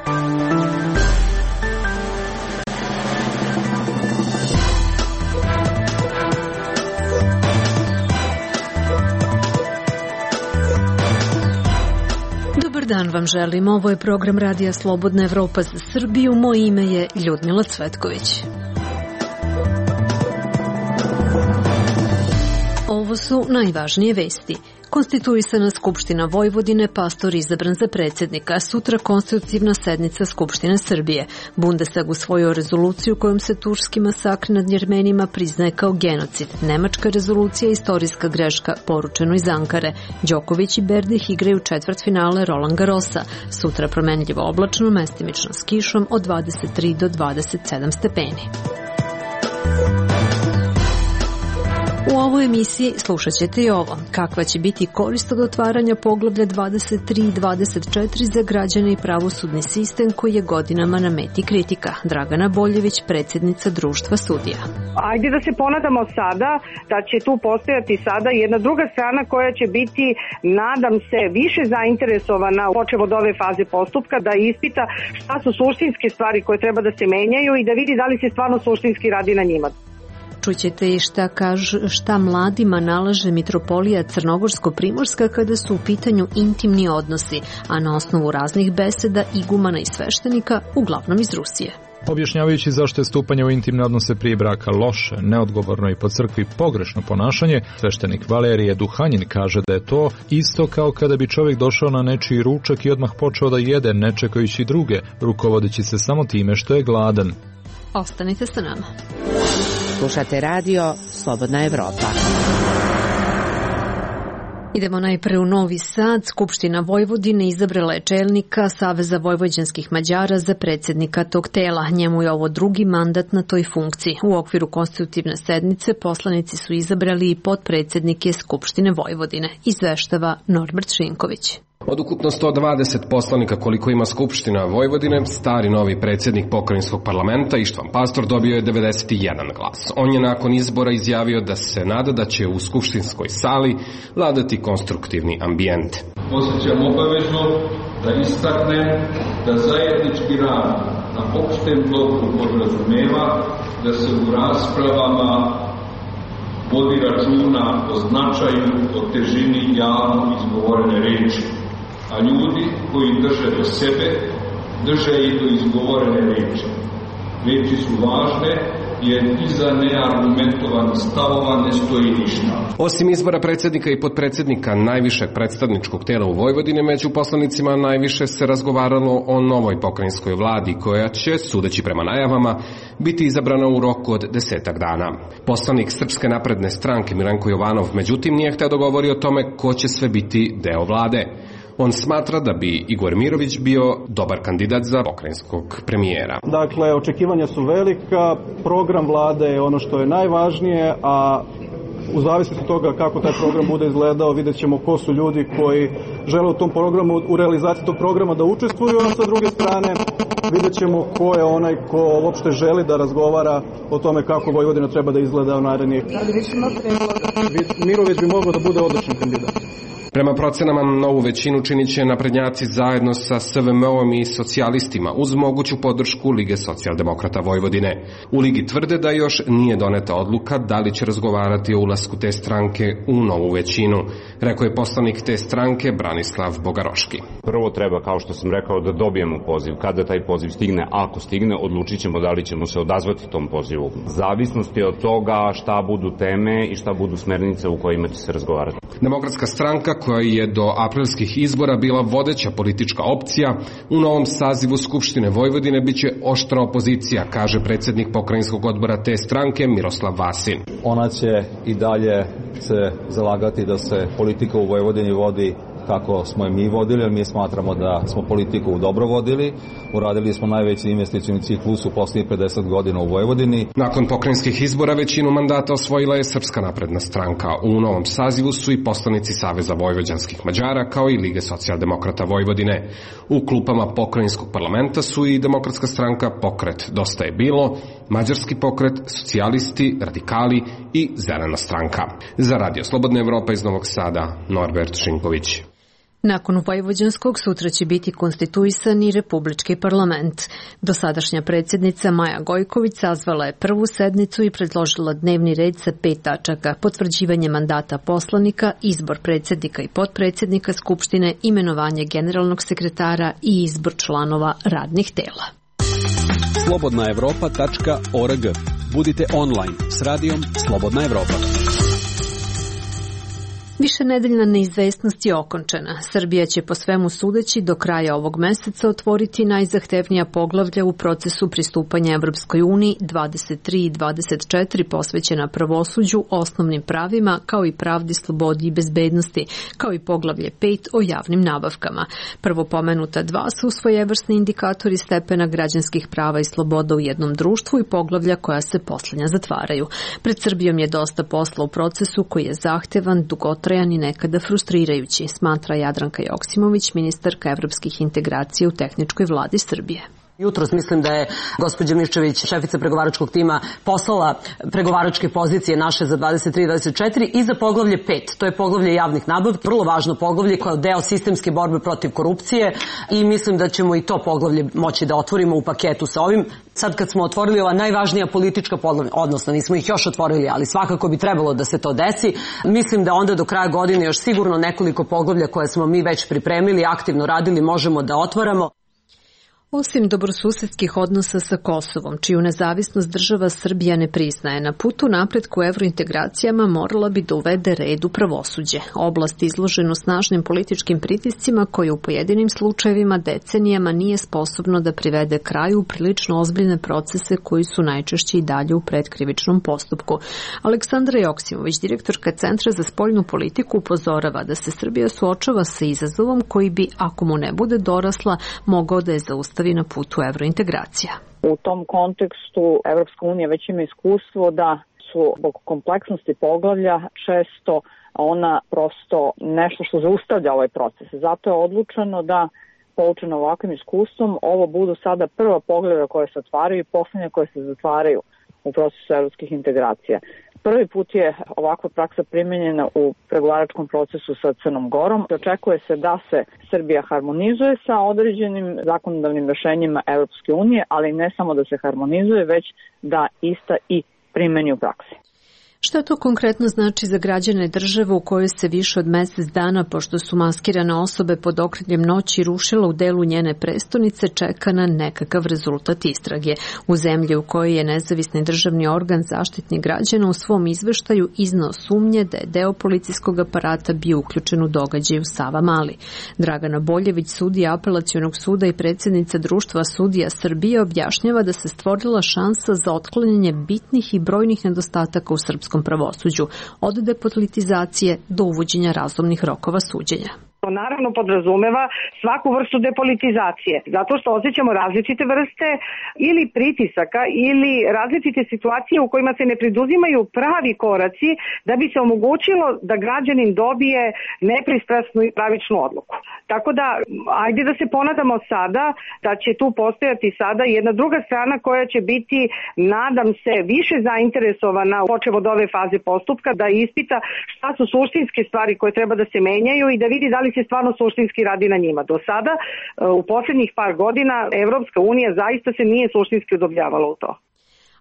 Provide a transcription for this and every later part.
Dobar dan vam želim. Ovo je program Radija Slobodna Evropa za Srbiju. Moje ime je Ljudmila Cvetković. Ovo su najvažnije vesti. Konstituisana Skupština Vojvodine, Pastor izabran za predsjednika, sutra konstitutivna sednica Skupštine Srbije. Bundestag usvojio rezoluciju kojom se turski masakr nad Jermenima priznaje kao genocid. Nemačka rezolucija je istorijska greška, poručeno iz Ankare. Đoković i Berdih igraju četvrtfinale Roland Garrosa. Sutra promenljivo oblačno, mestimično s kišom od 23 do 27 stepeni. U ovoj emisiji slušat ćete i ovo. Kakva će biti korist od otvaranja poglavlja 23 i 24 za građane i pravosudni sistem koji je godinama na meti kritika. Dragana Boljević, predsjednica Društva sudija. Ajde da se ponadamo sada da će tu postojati sada jedna druga strana koja će biti, nadam se, više zainteresovana počev od ove faze postupka da ispita šta su suštinske stvari koje treba da se menjaju i da vidi da li se stvarno suštinski radi na njima. Čućete i šta mladima nalaže mitropolija Crnogorsko-Primorska kada su u pitanju intimni odnosi, a na osnovu raznih beseda igumana i sveštenika, uglavnom iz Rusije. Objašnjavajući zašto je stupanje u intimne odnose prije braka loše, neodgovorno i po crkvi pogrešno ponašanje, sveštenik Valerije Duhanjin kaže da je to isto kao kada bi čovjek došao na nečiji ručak i odmah počeo da jede ne čekajući druge, rukovodeći se samo time što je gladan. Ostanite sa nama. Slušate radio Slobodna Evropa. Idemo najpre u Novi Sad. Skupština Vojvodine izabrala je čelnika Saveza vojvođanskih Mađara za predsjednika tog tela. Njemu je ovo drugi mandat na toj funkciji. U okviru konstitutivne sednice poslanici su izabrali i potpredsjednike Skupštine Vojvodine, izveštava Norbert Šinković. Od ukupno 120 poslanika koliko ima Skupština Vojvodine, stari novi predsjednik pokrajinskog parlamenta Ištvan Pastor dobio je 91 glas. On je nakon izbora izjavio da se nada da će u skupštinskoj sali vladati konstruktivni ambijent. Osjećam obavezu da istaknem da zajednički rad na opštem dobru podrazumeva da se u raspravama vodi računa o značaju, o težini javno izgovorene reči. A ljudi koji drže do sebe, drže i do izgovorene reči. Reči su važne jer iza neargumentovanih stavova ne stoji ništa. Osim izbora predsjednika i potpredsjednika najvišeg predstavničkog tela u Vojvodine, među poslanicima najviše se razgovaralo o novoj pokrajinskoj vladi koja će, sudeći prema najavama, biti izabrana u roku od 10 dana. Poslanik Srpske napredne stranke Milenko Jovanov, međutim, nije hteo da govori o tome ko će sve biti deo vlade. On smatra da bi Igor Mirović bio dobar kandidat za pokrajinskog premijera. Dakle, očekivanja su velika, program vlade je ono što je najvažnije, a u zavisnosti od toga kako taj program bude izgledao, vidjet ćemo ko su ljudi koji žele u tom programu, u realizaciji tog programa da učestvuju, a sa druge strane vidjet ćemo ko je onaj ko uopšte želi da razgovara o tome kako Vojvodina treba da izgleda u narednih. Mirović bi mogao da bude odličan kandidat. Prema procenama, novu većinu činit će naprednjaci zajedno sa SVM-om i socijalistima uz moguću podršku Lige socijaldemokrata Vojvodine. U Ligi tvrde da još nije doneta odluka da li će razgovarati o ulasku te stranke u novu većinu, rekao je poslanik te stranke Branislav Bogaroški. Prvo treba, kao što sam rekao, da dobijemo poziv. Kada taj poziv stigne, ako stigne, odlučit ćemo da li ćemo se odazvati tom pozivu. Zavisnosti od toga šta budu teme i šta budu smernice u kojima će se razgovarati. Demokratska stranka, koja je do aprilskih izbora bila vodeća politička opcija, u novom sazivu Skupštine Vojvodine biće oštra opozicija, kaže predsjednik pokrajinskog odbora te stranke Miroslav Vasin. Ona će i dalje se zalagati da se politika u Vojvodini vodi kako smo je mi vodili, jer mi smatramo da smo politiku dobro vodili. Uradili smo najveći investicioni ciklus u posljednjih 50 godina u Vojvodini. Nakon pokrajinskih izbora većinu mandata osvojila je Srpska napredna stranka. U novom sazivu su i poslanici Saveza vojvođanskih Mađara kao i Lige socijaldemokrata Vojvodine. U klupama pokrajinskog parlamenta su i Demokratska stranka, Pokret Dosta je bilo, Mađarski pokret, socijalisti, radikali i Zelena stranka. Za Radio Slobodna Evropa iz Novog Sada, Norbert Šinković. Nakon vojvođanskog sutra će biti konstituisan i Republički parlament. Dosadašnja predsjednica Maja Gojković sazvala je prvu sednicu i predložila dnevni red sa 5 tačaka: potvrđivanje mandata poslanika, izbor predsjednika i potpredsjednika Skupštine, imenovanje generalnog sekretara i izbor članova radnih tela. Slobodnaevropa.org. Budite online s radijom Slobodna Evropa. Višenedeljna neizvesnost je okončana. Srbija će po svemu sudeći do kraja ovog meseca otvoriti najzahtevnija poglavlja u procesu pristupanja Evropskoj uniji, 23 i 24 posvećena pravosuđu, osnovnim pravima, kao i pravdi, slobodi i bezbednosti, kao i poglavlje 5 o javnim nabavkama. Prvo pomenuta dva su svojevrsni indikatori stepena građanskih prava i sloboda u jednom društvu i poglavlja koja se poslednja zatvaraju. Pred Srbijom je dosta posla u procesu koji je zahtevan, dugotrajan i nekada frustrirajući, smatra Jadranka Joksimović, ministarka evropskih integracija u tehničkoj vladi Srbije. Jutros mislim da je gospođa Miščević, šefica pregovaračkog tima, poslala pregovaračke pozicije naše za 23 i 24 i za poglavlje 5. To je poglavlje javnih nabavki, vrlo važno poglavlje koje je deo sistemske borbe protiv korupcije i mislim da ćemo i to poglavlje moći da otvorimo u paketu sa ovim. Sad kad smo otvorili ova najvažnija politička poglavlja, odnosno nismo ih još otvorili, ali svakako bi trebalo da se to desi, mislim da onda do kraja godine još sigurno nekoliko poglavlja koje smo mi već pripremili, aktivno radili, možemo da otvaramo. Osim dobrosusedskih odnosa sa Kosovom, čiju nezavisnost država Srbija ne priznaje, na putu napretku evrointegracijama morala bi da uvede red u pravosuđe. Oblast izloženu snažnim političkim pritiscima koji u pojedinim slučajevima decenijama nije sposobno da privede kraju prilično ozbiljne procese koji su najčešće i dalje u predkrivičnom postupku. Aleksandra Joksimović, direktorka Centra za spoljnu politiku, upozorava da se Srbija suočava sa izazovom koji bi, ako mu ne bude dorasla, mogao da je zaustavi na putu evrointegracija. U tom kontekstu Evropska unija već ima iskustvo da su zbog kompleksnosti poglavlja često ona prosto nešto što zaustavlja ovaj proces. Zato je odlučeno da, poučeno ovakvim iskustvom, ovo budu sada prva poglavlja koje se otvaraju i poslednja koje se zatvaraju u procesu evropskih integracija. Prvi put je ovakva praksa primenjena u pregovaračkom procesu sa Crnom Gorom. Očekuje se da se Srbija harmonizuje sa određenim zakonodavnim rešenjima Evropske unije, ali ne samo da se harmonizuje, već da ista i primeni u praksi. Šta to konkretno znači za građane države u kojoj se više od mesec dana, pošto su maskirane osobe pod okriljem noći rušila u delu njene prestonice, čeka na nekakav rezultat istrage? U zemlji u kojoj je nezavisni državni organ Zaštitnik građana u svom izveštaju izneo sumnje da je deo policijskog aparata bio uključen u događaj u Savamali. Dragana Boljević, sudija Apelacionog suda i predsjednica Društva sudija Srbije, objašnjava da se stvorila šansa za otklanjanje bitnih i brojnih nedostataka u srpskom pravosuđu, od depolitizacije do uvođenja razumnih rokova suđenja. To naravno podrazumeva svaku vrstu depolitizacije, zato što osjećamo različite vrste ili pritisaka ili različite situacije u kojima se ne preduzimaju pravi koraci da bi se omogućilo da građanin dobije nepristrasnu i pravičnu odluku. Tako da, ajde da se ponadamo sada da će tu postojati sada jedna druga strana koja će biti, nadam se, više zainteresovana, počev od ove faze postupka, da ispita šta su suštinske stvari koje treba da se menjaju i da vidi da li se stvarno suštinski radi na njima. Do sada, u poslednjih par godina, Evropska unija zaista se nije suštinski udobljavala u to.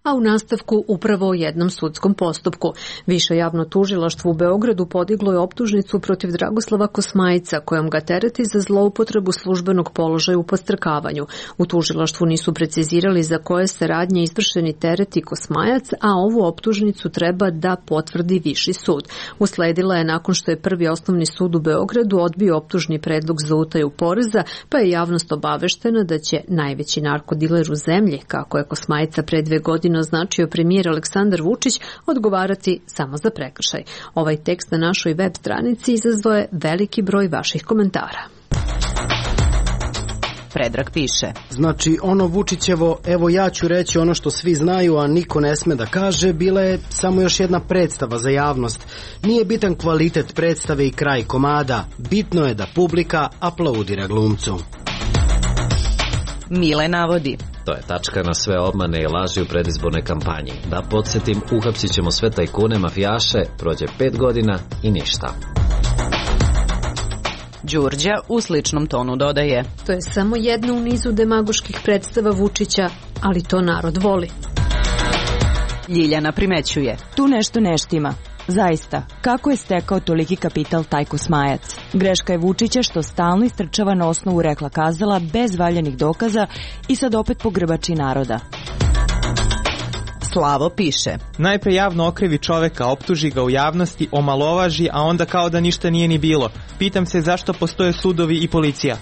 A u nastavku upravo o jednom sudskom postupku. Više javno tužilaštvo u Beogradu podiglo je optužnicu protiv Dragoslava Kosmajca, kojom ga tereti za zloupotrebu službenog položaja u podstrekavanju. U tužilaštvu nisu precizirali za koje se radnje izvršeni tereti Kosmajac, a ovu optužnicu treba da potvrdi Viši sud. Usledila je nakon što je Prvi osnovni sud u Beogradu odbio optužni predlog za utaju poreza, pa je javnost obaveštena da će najveći narkodiler u zemlji, kako je Kosmajca pre 2 godine označio premijer Aleksandar Vučić, odgovarati samo za prekršaj. Ovaj tekst na našoj web stranici izazvao je veliki broj vaših komentara. Predrag piše. Znači, ono Vučićevo, evo ja ću reći ono što svi znaju, a niko ne sme da kaže, bila je samo još jedna predstava za javnost. Nije bitan kvalitet predstave i kraj komada. Bitno je da publika aplaudira glumcu. Mile navodi. To je tačka na sve obmane i laži u predizbornoj kampanji. Da podsjetim, uhapsit ćemo sve tajkune, mafijaše, prođe 5 godina i ništa. Đurđa u sličnom tonu dodaje. To je samo jedna u nizu demagoških predstava Vučića, ali to narod voli. Ljiljana primećuje. Tu nešto ne štima. Zaista, kako je stekao toliki kapital taj Kosmajac? Greška je Vučića što stalno istrčava na osnovu rekla kazala bez valjanih dokaza i sad opet pogrbači naroda. Slavo piše. Najpre javno okrivi čoveka, optuži ga u javnosti, omalovaži, a onda kao da ništa nije ni bilo. Pitam se zašto postoje sudovi i policija.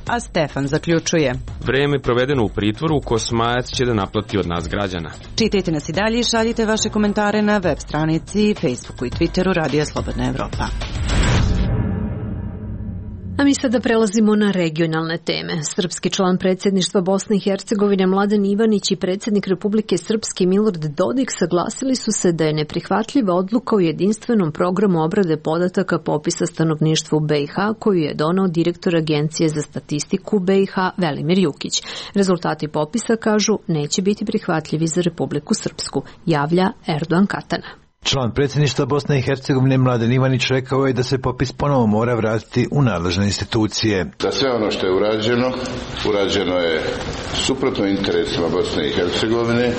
A Stefan zaključuje. Vreme provedeno u pritvoru Kosmajac će da naplati od nas građana. Čitajte nas i dalje i šaljite vaše komentare na web stranici, Facebooku i Twitteru Radija Slobodna Evropa. A mi sada prelazimo na regionalne teme. Srpski član predsjedništva Bosne i Hercegovine Mladen Ivanić i predsjednik Republike Srpske Milorad Dodik saglasili su se da je neprihvatljiva odluka o jedinstvenom programu obrade podataka popisa stanovništva u BiH koju je donao direktor Agencije za statistiku BiH Velimir Jukić. Rezultati popisa, kažu, neće biti prihvatljivi za Republiku Srpsku, javlja Erdogan Katana. Član predsjedništva Bosne i Hercegovine Mladen Ivanić rekao je da se popis ponovo mora vratiti u nadležne institucije. Da sve ono što je urađeno je suprotno interesima Bosne i Hercegovine,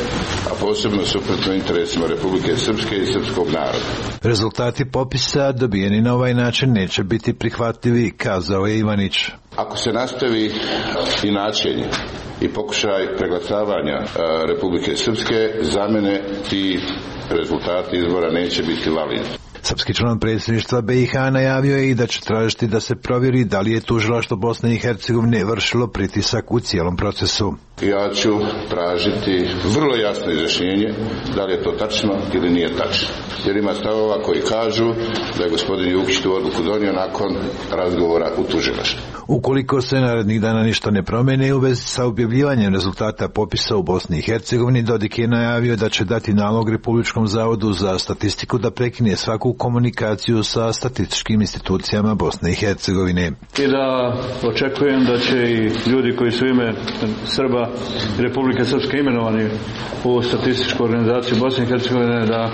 a posebno suprotno interesima Republike Srpske i srpskog naroda. Rezultati popisa dobijeni na ovaj način neće biti prihvatljivi, kazao je Ivanić. Ako se nastavi inačenje i pokušaj preglasavanja Republike Srpske, za mene ti rezultati izbora neće biti validni. Srpski član predsjedništva BiH najavio je i da će tražiti da se provjeri da li je tužilaštvo Bosne i Hercegovine vršilo pritisak u cijelom procesu. Ja ću tražiti vrlo jasno izjašnjenje da li je to tačno ili nije tačno. Jer ima stavova koji kažu da je gospodin Jukić tu odluku donio nakon razgovora u tužilaštvu. Ukoliko se narednih dana ništa ne promene u vezi sa objavljivanjem rezultata popisa u Bosni i Hercegovini, Dodik je najavio da će dati nalog Republičkom zavodu za statistiku da prekine svaku komunikaciju sa statističkim institucijama Bosne i Hercegovine. I da očekujem da će i ljudi koji su ime Srba i Republike Srpske imenovani u statističku organizaciju Bosne i Hercegovine da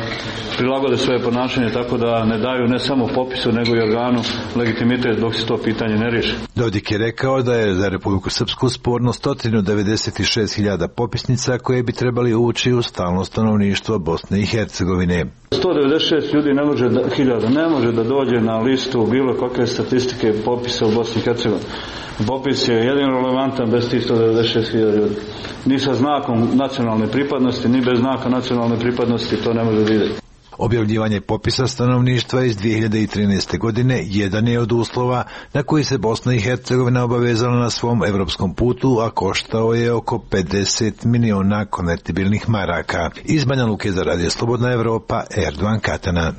prilagode svoje ponašanje tako da ne daju ne samo popisu nego i organu legitimitet dok se to pitanje ne riješi. Dodik je rekao da je za Republiku Srpsku sporno 196.000 popisnica koje bi trebali ući u stalno stanovništvo Bosne i Hercegovine. 196 ljudi ne može da dođe na listu bilo kakve statistike popisa u Bosni i Hercegovini. Popis je jedino relevantan bez tih 196.000 ljudi. Ni sa znakom nacionalne pripadnosti, ni bez znaka nacionalne pripadnosti to ne može vidjeti. Objavljivanje popisa stanovništva iz 2013. godine jedan je od uslova na koji se Bosna i Hercegovina obavezala na svom evropskom putu, a koštao je oko 50 miliona konvertibilnih maraka. Iz Banja Luke za Radio Slobodna Evropa, Erdogan Katana.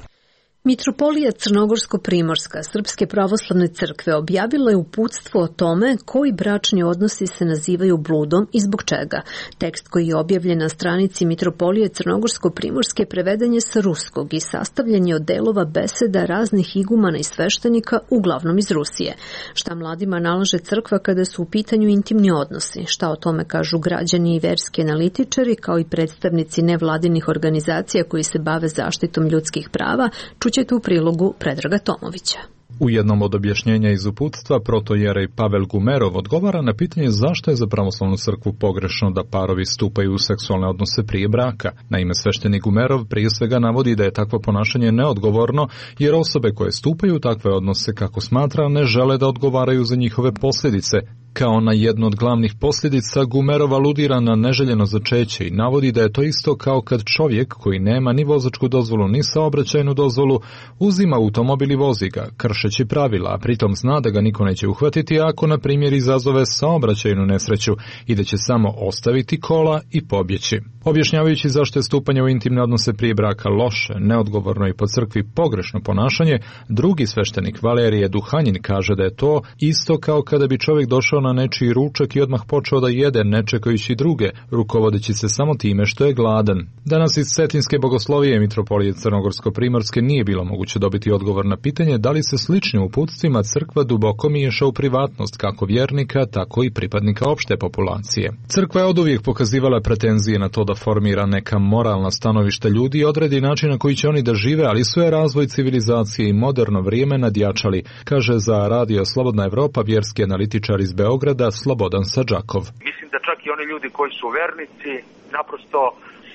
Mitropolija Crnogorsko-Primorska Srpske pravoslavne crkve objavila je uputstvo o tome koji bračni odnosi se nazivaju bludom i zbog čega. Tekst koji je objavljen na stranici Mitropolije Crnogorsko-Primorske preveden je sa ruskog i sastavljen je od delova beseda raznih igumana i sveštenika, uglavnom iz Rusije. Šta mladima nalaže crkva kada su u pitanju intimni odnosi? Šta o tome kažu građani i verski analitičari, kao i predstavnici nevladinih organizacija koji se bave zaštitom ljudskih prava, ćete u prilogu Predraga Tomovića. U jednom od objašnjenja iz uputstva protojerej Pavel Gumerov odgovara na pitanje zašto je za pravoslavnu crkvu pogrešno da parovi stupaju u seksualne odnose prije braka. Naime, sveštenik Gumerov prije svega navodi da je takvo ponašanje neodgovorno, jer osobe koje stupaju u takve odnose, kako smatra, ne žele da odgovaraju za njihove posljedice. Kao na jednu od glavnih posljedica, Gumerov aludira na neželjeno začeće i navodi da je to isto kao kad čovjek koji nema ni vozačku dozvolu ni saobraćajnu dozvolu uzima automobil i vozi ga, kršeći pravila, a pritom zna da ga niko neće uhvatiti ako, na primjer, izazove saobraćajnu nesreću i da će samo ostaviti kola i pobjeći. Objašnjavajući zašto je stupanje u intimne odnose prije braka loše, neodgovorno i po crkvi pogrešno ponašanje, drugi sveštenik Valerije Duhanjin kaže da je to isto kao kada bi čovjek došao na nečiji ručak i odmah počeo da jede, ne čekajući druge, rukovodeći se samo time što je gladan. Danas iz Cetinske bogoslovije mitropolije Crnogorsko-Primorske nije bilo moguće dobiti odgovor na pitanje da li se sličnim uputstvima crkva duboko miješa u privatnost kako vjernika, tako i pripadnika opšte populacije. Crkva je oduvijek pokazivala pretenzije na to da formira neka moralna stanovišta ljudi i odredi način na koji će oni da žive, ali sve razvoj civilizacije i moderno vrijeme nadjačali, kaže za Radio Slobodna Evropa vjerski analitičar iz Beograda Slobodan Sadžakov. Mislim da čak i oni ljudi koji su vernici naprosto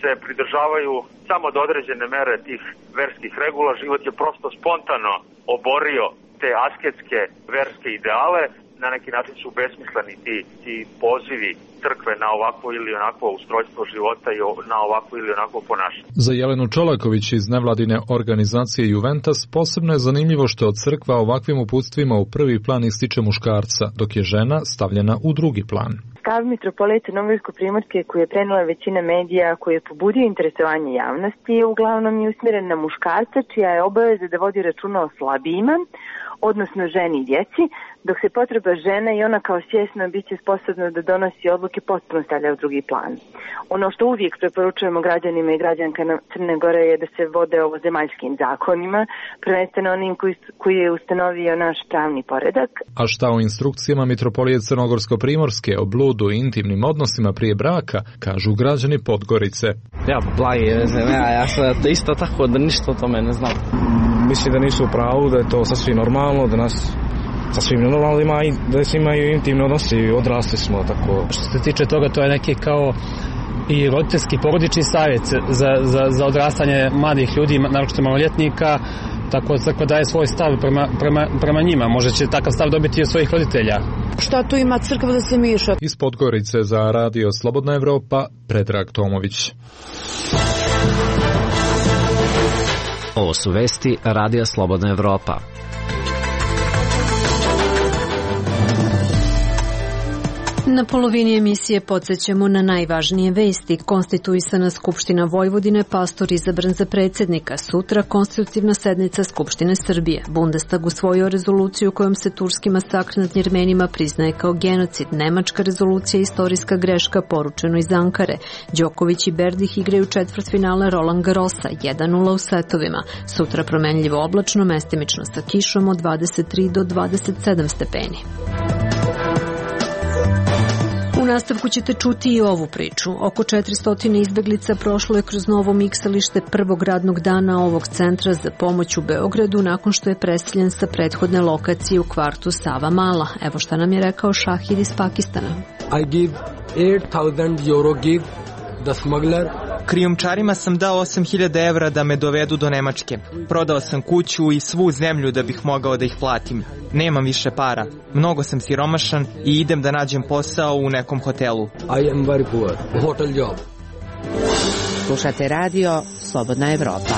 se pridržavaju samo do određene mere tih verskih regula. Život je prosto spontano oborio te asketske verske ideale. Na neki način su besmisleni ti pozivi crkve na ovako ili onako ustrojstvo života i na ovako ili onako ponašanje. Za Jelenu Čolaković iz nevladine organizacije Juventus posebno je zanimljivo što od crkva ovakvim uputstvima u prvi plan ističe muškarca, dok je žena stavljena u drugi plan. Stav mitropolije Crnogorsko-Primorske koji je prenela većina medija, koji je pobudio interesovanje javnosti, je uglavnom i usmjeren na muškarca, čija je obaveza da vodi računa o slabijima, odnosno ženi i djeci, dok se potreba žene i ona kao svjesno biće sposobna da donosi odluke potpuno stavlja u drugi plan. Ono što uvijek preporučujemo građanima i građankama Crne Gore je da se vode ovozemaljskim zakonima, prvenstveno onim koji je ustanovio naš pravni poredak. A šta u instrukcijama mitropolije Crnogorsko-Primorske o bludu i intimnim odnosima prije braka, kažu građani Podgorice. Ja, blagi, ja sam isto tako da ništa o tome ne znam. Mislim da nisu u pravu, da je to sasvim normalno, da nas sasvim normalno ima i da se imaju intimni odnosi, odrasli smo tako. Što se tiče toga, to je neki kao i roditeljski porodični savjet za odrastanje mladih ljudi, naročito maloljetnika, tako da crkva daje svoj stav prema njima. Možda će takav stav dobiti i od svojih roditelja. Šta tu ima crkva da se miješa? Iz Podgorice za Radio Slobodna Evropa, Predrag Tomović. Ovo su vesti Radija Slobodna Evropa. Na polovini emisije podsjećamo na najvažnije vesti. Konstituisana Skupština Vojvodine, pastor izabran za predsjednika. Sutra konstitutivna sednica Skupštine Srbije. Bundestag usvojio rezoluciju kojom se turski masakr nad Jermenima priznaje kao genocid. Nemačka rezolucija istorijska greška, poručeno iz Ankare. Đoković i Berdih igraju četvrtfinale Roland Garrosa, 1:0 u setovima. Sutra promenljivo oblačno, mestimično sa kišom od 23 do 27 stepeni. U nastavku ćete čuti i ovu priču. Oko 400 izbeglica prošlo je kroz novo miksalište prvog radnog dana ovog centra za pomoć u Beogradu nakon što je preseljen sa prethodne lokacije u kvartu Sava Mala. Evo šta nam je rekao Šahid iz Pakistana. I give 8,000 euro give the smuggler. Krijumčarima sam dao 8.000 evra da me dovedu do Nemačke. Prodao sam kuću i svu zemlju da bih mogao da ih platim. Nemam više para. Mnogo sam siromašan i idem da nađem posao u nekom hotelu. I am very poor. Hotel job. Slušate radio Slobodna Evropa.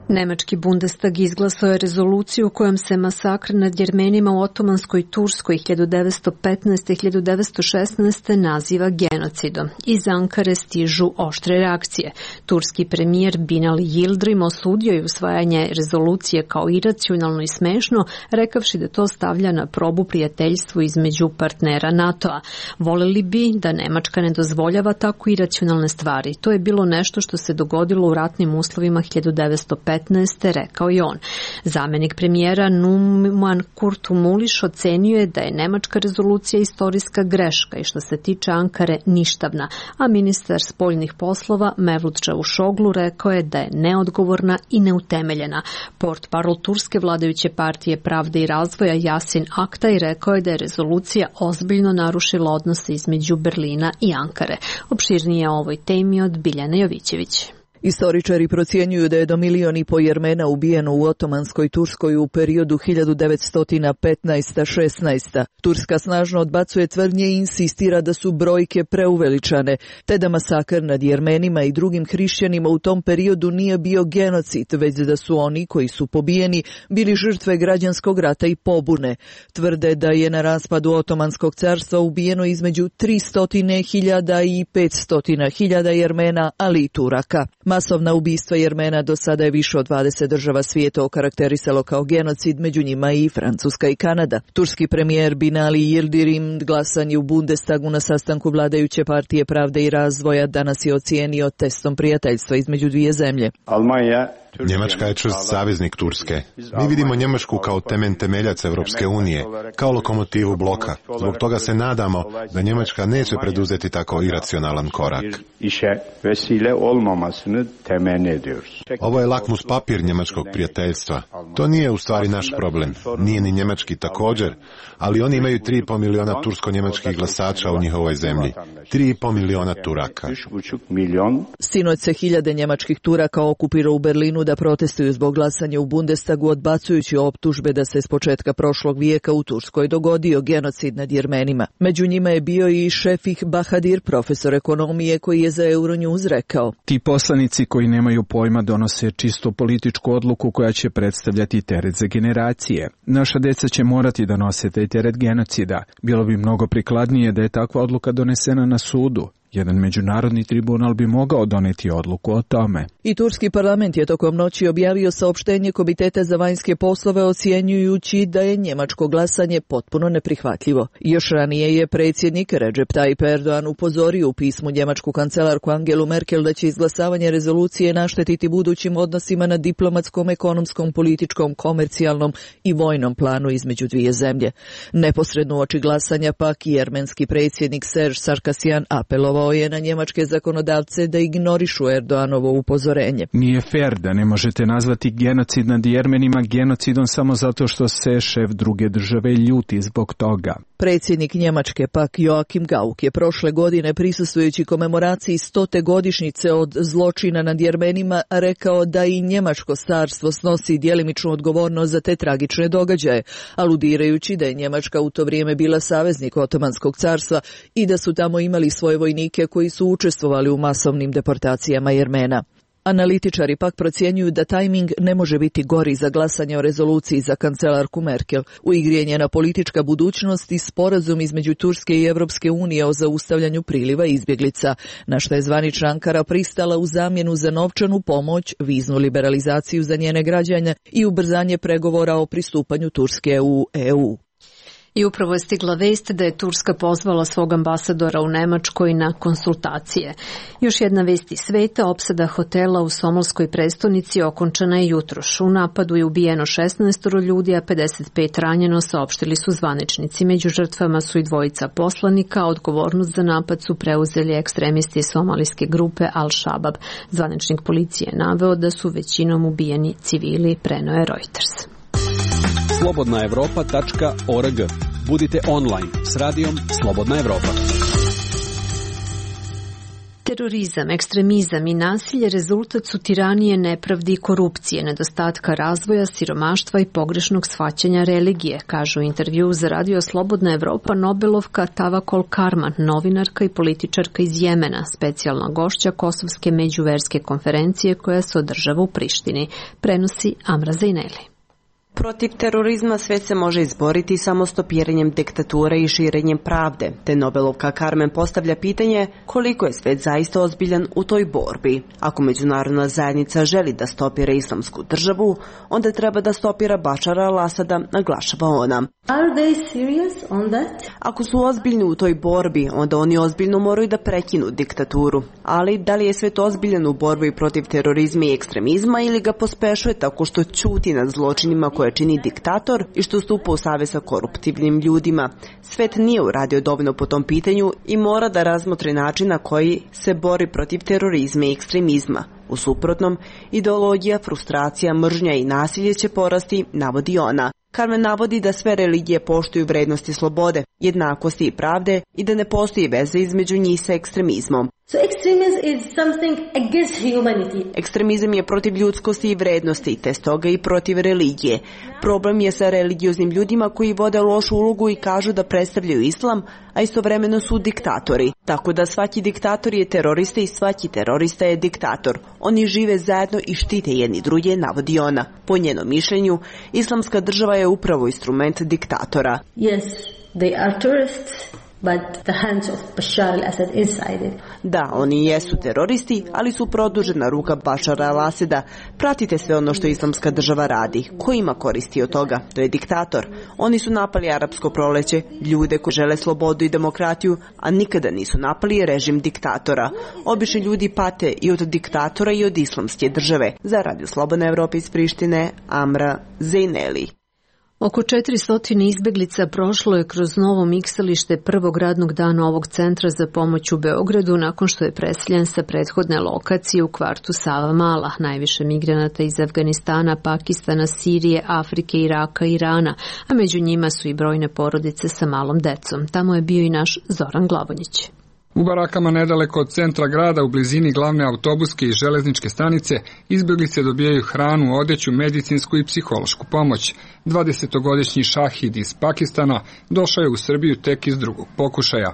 Nemački Bundestag izglasao je rezoluciju kojom se masakr nad Jermenima u Otomanskoj Turskoj 1915-1916 naziva genocidom. Iz Ankare stižu oštre reakcije. Turski premijer Binali Yildirim osudio je usvajanje rezolucije kao iracionalno i smešno, rekavši da to stavlja na probu prijateljstvu između partnera NATO-a. Voleli bi da Nemačka ne dozvoljava tako iracionalne stvari. To je bilo nešto što se dogodilo u ratnim uslovima 1915. rekao je on. Zamenik premijera Numan Kurtulmuş ocenio je da je nemačka rezolucija istorijska greška i što se tiče Ankare ništavna, a ministar spoljnih poslova Mevlut Čavuşoglu rekao je da je neodgovorna i neutemeljena. Portparol turske vladajuće partije Pravde i razvoja Yasin Aktaj rekao je da je rezolucija ozbiljno narušila odnose između Berlina i Ankare. Opširnije o ovoj temi od Biljane Jovićević. Istoričari procjenjuju da je do 1,5 miliona Jermena ubijeno u Otomanskoj Turskoj u periodu 1915-16. Turska snažno odbacuje tvrdnje i insistira da su brojke preuveličane, te da masakr nad Jermenima i drugim hrišćanima u tom periodu nije bio genocid, već da su oni koji su pobijeni bili žrtve građanskog rata i pobune. Tvrde da je na raspadu Otomanskog carstva ubijeno između 300.000 i 500.000 Jermena, ali i Turaka. Masovna ubistva Jermena do sada je više od 20 država svijeta okarakterisalo kao genocid, među njima i Francuska i Kanada. Turski premijer Binali Yildirim glasan je u Bundestagu na sastanku vladajuće partije Pravde i razvoja danas je ocijenio testom prijateljstva između dvije zemlje. Njemačka je čvrst saveznik Turske. Mi vidimo Njemačku kao temeljac Evropske unije, kao lokomotivu bloka. Zbog toga se nadamo da Njemačka neće preduzeti tako iracionalan korak. Ovo je lakmus papir njemačkog prijateljstva. To nije u stvari naš problem. Nije ni njemački također, ali oni imaju 3,5 miliona tursko-njemačkih glasača u njihovoj zemlji. 3,5 miliona Turaka. Sinoć se hiljade njemačkih Turaka okupira u Berlinu da protestuju zbog glasanja u Bundestagu, odbacujući optužbe da se s početka prošlog vijeka u Turskoj dogodio genocid nad Jermenima. Među njima je bio i Šefik Bahadir, profesor ekonomije, koji je za Euronews rekao: Ti poslanici koji nemaju pojma donose čisto političku odluku koja će predstavljati teret za generacije. Naša deca će morati da nose taj teret genocida. Bilo bi mnogo prikladnije da je takva odluka donesena na sudu. Jedan međunarodni tribunal bi mogao doneti odluku o tome. I turski parlament je tokom noći objavio saopštenje Komiteta za vanjske poslove ocjenjujući da je njemačko glasanje potpuno neprihvatljivo. Još ranije je predsjednik Recep Tayyip Erdogan upozorio u pismu njemačku kancelarku Angelu Merkel da će izglasavanje rezolucije naštetiti budućim odnosima na diplomatskom, ekonomskom, političkom, komercijalnom i vojnom planu između dvije zemlje. Neposredno uoči glasanja pak jermenski predsjednik Serge Sarkisyan apelovao je na njemačke zakonodavce da ignorišu Erdoganovo upozorenje. Nije fair da ne možete nazvati genocid nad Jermenima genocidom samo zato što se šef druge države ljuti zbog toga. Predsjednik Njemačke pak Joachim Gauck je prošle godine prisustvujući komemoraciji 100. godišnjice od zločina nad Jermenima rekao da i njemačko carstvo snosi djelimičnu odgovornost za te tragične događaje, aludirajući da je Njemačka u to vrijeme bila saveznik Otomanskog carstva i da su tamo imali svoje vojnike koji su učestvovali u masovnim deportacijama Jermena. Analitičari pak procjenjuju da tajming ne može biti gori za glasanje o rezoluciji za kancelarku Merkel. U igri je njena politička budućnost i sporazum između Turske i Evropske unije o zaustavljanju priliva izbjeglica, na što je zvanična Ankara pristala u zamjenu za novčanu pomoć, viznu liberalizaciju za njene građane i ubrzanje pregovora o pristupanju Turske u EU. I upravo je stigla vest da je Turska pozvala svog ambasadora u Nemačkoj na konsultacije. Još jedna vest iz sveta, opsada hotela u somalskoj prestonici okončana je jutros. U napadu je ubijeno 16 ljudi, a 55 ranjeno, saopštili su zvaničnici. Među žrtvama su i dvojica poslanika, odgovornost za napad su preuzeli ekstremisti somalijske grupe Al-Shabaab. Zvaničnik policije je naveo da su većinom ubijeni civili, preneo je Reuters. slobodnaevropa.org. Budite online s radijom Slobodna Evropa. Terorizam, ekstremizam i nasilje rezultat su tiranije, nepravdi i korupcije, nedostatka razvoja, siromaštva i pogrešnog shvaćanja religije, kažu u intervju za radio Slobodna Evropa Nobelovka Tavakol Karman, novinarka i političarka iz Jemena, specijalna gošća Kosovske međuverske konferencije koja se održava u Prištini, prenosi Amra Zejneli. Protiv terorizma svet se može izboriti samo stopiranjem diktature i širenjem pravde, te Nobelovka Karmen postavlja pitanje koliko je svet zaista ozbiljan u toj borbi. Ako međunarodna zajednica želi da stopira islamsku državu, onda treba da stopira Bašara al-Asada, naglašava ona. Are they serious on that? Ako su ozbiljni u toj borbi, onda oni ozbiljno moraju da prekinu diktaturu. Ali da li je svet ozbiljan u borbi protiv terorizma i ekstremizma ili ga pospešuje tako što ćuti nad zločinima koje čini diktator i što stupa u savez sa koruptivnim ljudima? Svet nije uradio dovoljno po tom pitanju i mora da razmotri način na koji se bori protiv terorizma i ekstremizma. U suprotnom, ideologija, frustracija, mržnja i nasilje će porasti, navodi ona. Karmen navodi da sve religije poštuju vrednosti slobode, jednakosti i pravde i da ne postoji veze između njih sa ekstremizmom. So extremism is something against humanity. Ekstremizam je protiv ljudskosti i vrednosti, te stoga i protiv religije. Problem je sa religioznim ljudima koji vode lošu ulogu i kažu da predstavljaju islam, a istovremeno su diktatori. Tako da svaki diktator je terorista i svaki terorista je diktator. Oni žive zajedno i štite jedni druge, navodi ona. Po njenom mišljenju, islamska država je upravo instrument diktatora. Yes, they are terrorists. but the hands of Bashar al-Assad inside it. Da, oni jesu teroristi, ali su produžena ruka Bašara al-Asada. Pratite sve ono što Islamska država radi. Ko ima koristi od toga? To je diktator. Oni su napali arapsko proleće, ljude koji žele slobodu i demokratiju, a nikada nisu napali režim diktatora. Obični ljudi pate i od diktatora i od Islamske države. Za Radio Slobodna Evropa iz Prištine, Amra Zejneli. Oko 400 izbeglica prošlo je kroz novo miksalište prvog radnog dana ovog centra za pomoć u Beogradu nakon što je preseljen sa prethodne lokacije u kvartu Savamala. Najviše migranata iz Afganistana, Pakistana, Sirije, Afrike, Iraka i Irana, a među njima su i brojne porodice sa malom decom. Tamo je bio i naš Zoran Glavonjić. U barakama nedaleko od centra grada, u blizini glavne autobuske i železničke stanice, izbjeglice dobijaju hranu, odeću, medicinsku i psihološku pomoć. 20-godišnji Šahid iz Pakistana došao je u Srbiju tek iz drugog pokušaja.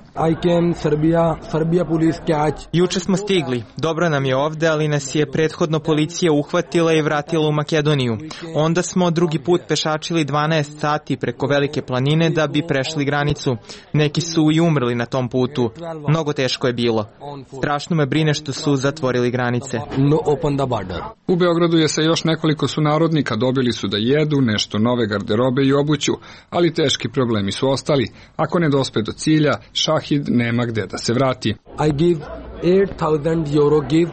Juče smo stigli. Dobro nam je ovde, ali nas je prethodno policija uhvatila i vratila u Makedoniju. Onda smo drugi put pešačili 12 sati preko Velike planine da bi prešli granicu. Neki su i umrli na tom putu. Mnogo teško je bilo. Strašno me brine što su zatvorili granice. U Beogradu je sa još nekoliko sunarodnika, dobili su da jedu, nešto nove garderobe i obuću, ali teški problemi su ostali. Ako ne dospe do cilja, Šahid nema gde da se vrati. I give 8,000 euro give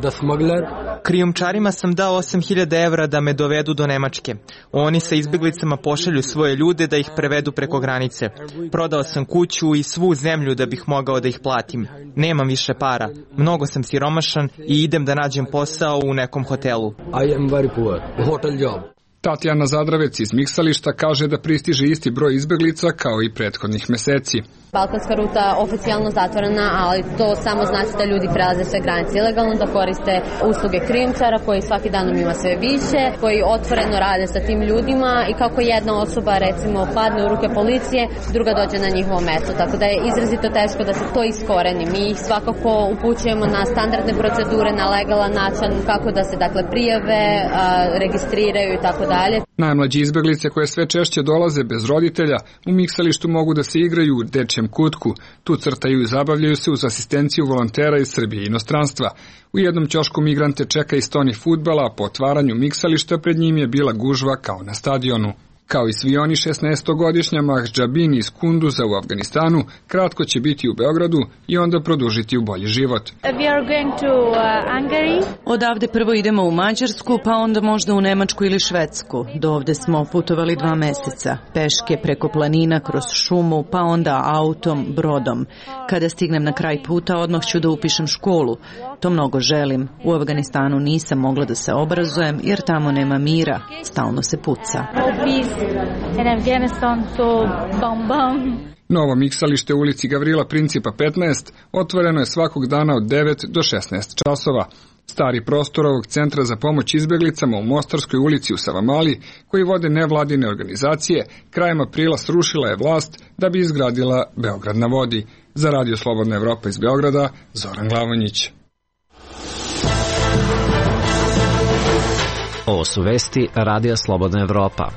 the smuggler. Krijumčarima sam dao 8.000 evra da me dovedu do Nemačke. Oni sa izbjeglicama pošalju svoje ljude da ih prevedu preko granice. Prodao sam kuću i svu zemlju da bih mogao da ih platim. Nemam više para. Mnogo sam siromašan i idem da nađem posao u nekom hotelu. I am very poor. Hotel job. Tatjana Zadravec iz miksališta kaže da pristiže isti broj izbeglica kao i prethodnih meseci. Balkanska ruta oficijalno zatvorena, ali to samo znači da ljudi prelaze sve granice ilegalno, da koriste usluge krijumčara koji svaki danom ima sve više, koji otvoreno rade sa tim ljudima i kako jedna osoba recimo padne u ruke policije, druga dođe na njihovo mesto. Tako da je izrazito teško da se to iskoreni. Mi ih svakako upućujemo na standardne procedure, na legalan način kako da se dakle prijave, registriraju i tako dalje. Najmlađi izbeglice koje sve češće dolaze bez roditelja u miksalištu mogu da se igraju u dečjem kutku. Tu crtaju i zabavljaju se uz asistenciju volontera iz Srbije i inostranstva. U jednom ćošku migrante čeka i stoni fudbala, a po otvaranju miksališta pred njim je bila gužva kao na stadionu. Kao i svi oni, 16-godišnja Mahđabin iz Kunduza u Afganistanu kratko će biti u Beogradu i onda produžiti u bolji život. Odavde prvo idemo u Mađarsku, pa onda možda u Nemačku ili Švedsku. Do ovde smo putovali 2 meseca. Peške preko planina, kroz šumu, pa onda autom, brodom. Kada stignem na kraj puta, odmah ću da upišem školu. To mnogo želim. U Afganistanu nisam mogla da se obrazujem jer tamo nema mira. Stalno se puca. Novo miksalište u ulici Gavrila Principa 15 otvoreno je svakog dana od 9 do 16 časova. Stari prostor ovog centra za pomoć izbjeglicama u Mostarskoj ulici u Savamali, koji vode nevladine organizacije, krajem aprila srušila je vlast da bi izgradila Beograd na vodi. Za Radio Slobodna Evropa iz Beograda, Zoran Glavonjić. Ovo su vesti Radija Slobodna Evropa.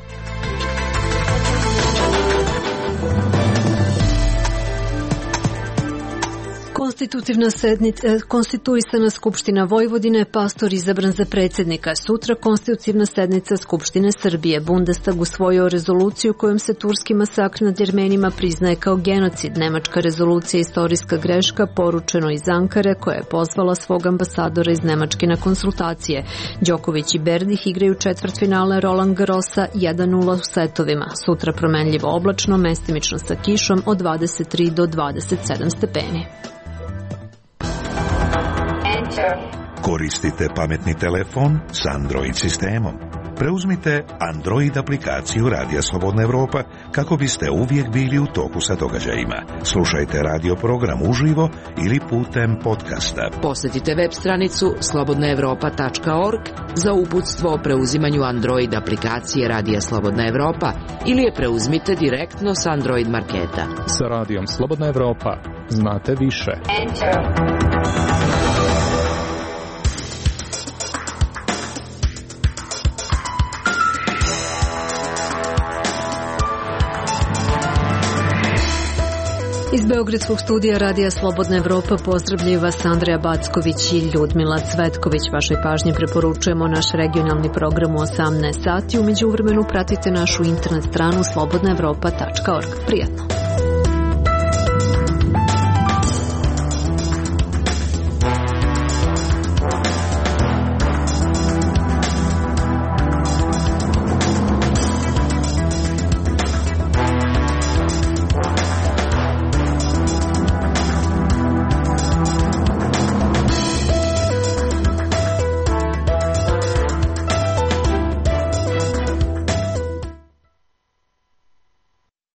Konstituisana Skupština Vojvodine, pastor izabran za predsjednika. Sutra konstitutivna sednica Skupštine Srbije. Bundestag usvojio rezoluciju kojom se turski masakr nad Jermenima priznaje kao genocid. Nemačka rezolucija istorijska greška, poručeno iz Ankare, koja je pozvala svog ambasadora iz Nemačke na konsultacije. Đoković i Berdih igraju četvrtfinale Roland Garrosa 1-0 u setovima. Sutra promenljivo oblačno, mestimično sa kišom od 23 do 27 stepeni. Koristite pametni telefon s Android sistemom. Preuzmite Android aplikaciju Radija Slobodna Evropa kako biste uvijek bili u toku sa događajima. Slušajte radio program uživo ili putem podcasta. Posjetite web stranicu slobodnaevropa.org za uputstvo o preuzimanju Android aplikacije Radija Slobodna Evropa ili je preuzmite direktno s Android marketa. Sa Radijom Slobodna Evropa znate više. Iz Beogradskog studija Radija Slobodna Evropa pozdravljaju vas Andreja Backović i Ljudmila Cvetković. Vašoj pažnji preporučujemo naš regionalni program u 18 sati. U međuvremenu pratite našu internet stranu slobodnaevropa.org. Prijatno!